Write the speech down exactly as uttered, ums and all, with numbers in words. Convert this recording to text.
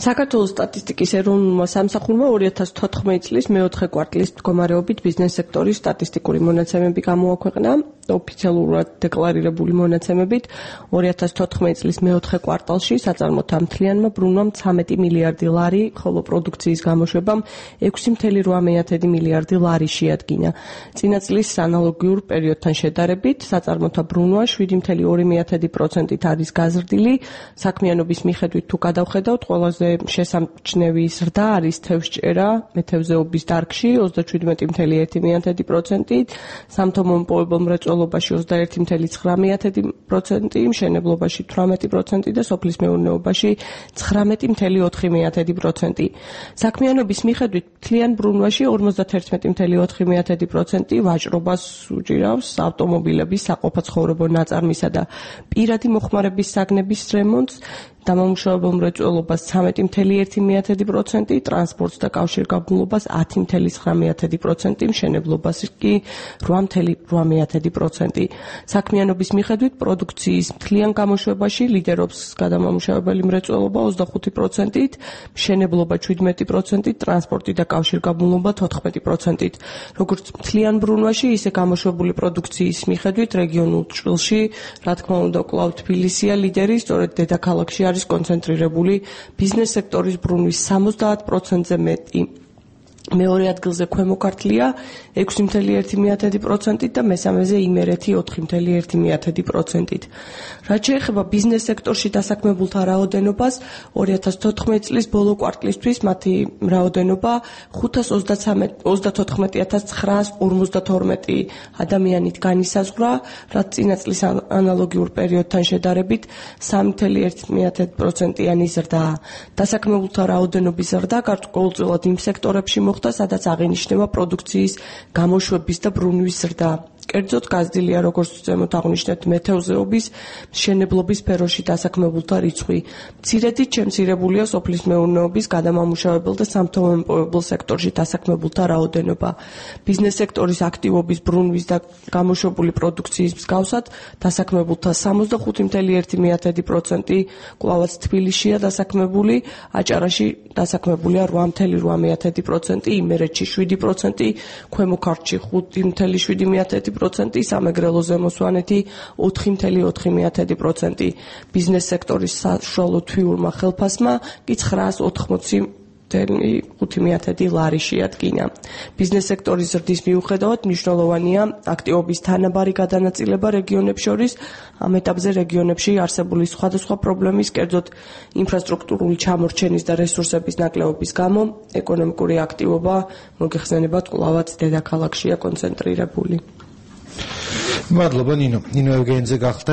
საქართველოს სტატისტიკის ეროვნულმა სამსახურმა ორი ათას თოთხმეტი წლის მეოთხე კვარტლის მდგომარეობით ბიზნეს სექტორის სტატისტიკური მონაცემები გამოაქვეყნა. ოფიციალურად დეკლარირებული მონაცემებით ორი ათას თოთხმეტი წლის მეოთხე კვარტალში საწარმოთა მთლიანმა ბრუნვამ ცამეტი მილიარდი ლარი, ხოლო პროდუქციის გამოშვებამ ექვსი წუთი რვა მილიარდი ლარი შეადგინა. წინა წლის ანალოგიურ პერიოდთან შედარებით საწარმოთა ბრუნვა შვიდი წუთი ორი პროცენტით არის გაზრდილი. საქმიანობის მიხედვით თუ გადავხედავთ, ყველაზე შესამჩნევი ზრდა არის თევზჭერა, მეთევზეობის დარგში ოცდაშვიდი წუთი ერთი პროცენტით, სამთო მომპოვებელ მრეწველობაში ოცდაერთი წუთი ცხრა პროცენტი, მშენებლობაში თვრამეტი პროცენტი და სოფლის მეურნეობაში ცხრამეტი წუთი ოთხი პროცენტი. საქმიანობის მიხედვით მთლიან ბრუნვაში ორმოცდაერთი წუთი ოთხი პროცენტი ვაჭრობას უჭირავს, ავტომობილების, საყოფაცხოვრებო ნაწარმისა და პირადი მოხმარების საგნების რემონტს, დამამუშავებელ მრეწველობას ცამეტი წუთი ერთი პროცენტი, ტრანსპორტს და კავშირგაბმულობას ათი წუთი ცხრა პროცენტი, მშენებლობას კი რვა წუთი რვა პროცენტი. საქმიანობის მიხედვით პროდუქციის მთლიან გამოშვებაში ლიდერობს გადამამუშავებელი მრეწველობა ოცდახუთი პროცენტით, მშენებლობა შვიდმეტი პროცენტით, ტრანსპორტი და კავშირგაბმულობა თოთხმეტი პროცენტით. როგორც მთლიან ბრუნვაში, ისე გამოშვებული პროდუქციის მიხედვით რეგიონულ ჭრილში, რა თქმა უნდა, კვლავ თბილისია ლიდერი, სწორედ დედაქალაქში არის კონცენტრირებული ბიზნეს სექტორის ბრუნვის სამოცდაათ პროცენტზე მეტი. მეორე ადგილზე ქვემო ქართლია ექვსი წუთი ერთი პროცენტით და მესამეზე იმერეთი ოთხი წუთი ერთი პროცენტით. რაც შეეხება ბიზნეს სექტორში დასაქმებულთა რაოდენობას, ორი ათას თოთხმეტი წლის ბოლო კვარტლისთვის მათი რაოდენობა ხუთას ოცდათოთხმეტი ათას ცხრაას ორმოცდათორმეტი ადამიანით განისაზღვრა, რაც წინა წლის ანალოგიურ პერიოდთან შედარებით სამი წუთი ერთი პროცენტიანი ზრდაა. დასაქმებულთა რაოდენობის ზრდა გარკვეულწილად იმ სექტორებში მოხდა, სადაც აღინიშნება პროდუქციის გამოშვების და ბრუნვის ზრდა. კერძოდ გაზრდილია, როგორც ზემოთ აღნიშნეთ, მეთევზეობის, მშენებლობის სფეროში დასაქმებულთა რიცხვი. მცირედით შემცირებულია სოფლის მეურნეობის, გადამამუშავებელ და სამთო-მომპოვებელ სექტორში დასაქმებულთა რაოდენობა. ბიზნეს სექტორის აქტივობის ბრუნვის და გამოშვებული პროდუქციის მსგავსად, დასაქმებულთა სამოცდახუთი წუთი ერთი პროცენტი კვლავაც თბილისშია დასაქმებული, აჭარაში დასაქმებულია რვა წუთი რვა პროცენტი, იმერეთში შვიდი პროცენტი, ქვემო ქართლში ხუთი წუთი შვიდი პროცენტი, სამეგრელო ზემო სვანეთი ოთხი წუთი ოთხი პროცენტი. ბიზნეს სექტორის საშუალო თვიურმა ხელფასმა კი ცხრაას ოთხმოცი ხუთი ლარი შეადგინა. ბიზნეს სექტორის ზრდის მიუხედავად მნიშვნელოვანია აქტივობის თანაბარი გადანაწილება რეგიონებს შორის. ამ ეტაპზე რეგიონებში არსებული სხვადასხვა პრობლემის, კერძოდ ინფრასტრუქტურული ჩამორჩენის და რესურსების ნაკლებობის გამო, ეკონომიკური აქტივობა მოგეხსენებათ კვლავაც დედაქალაქშია კონცენტრირებული. მადლობა ნინო. ნინო ევგენიძე გახლდათ.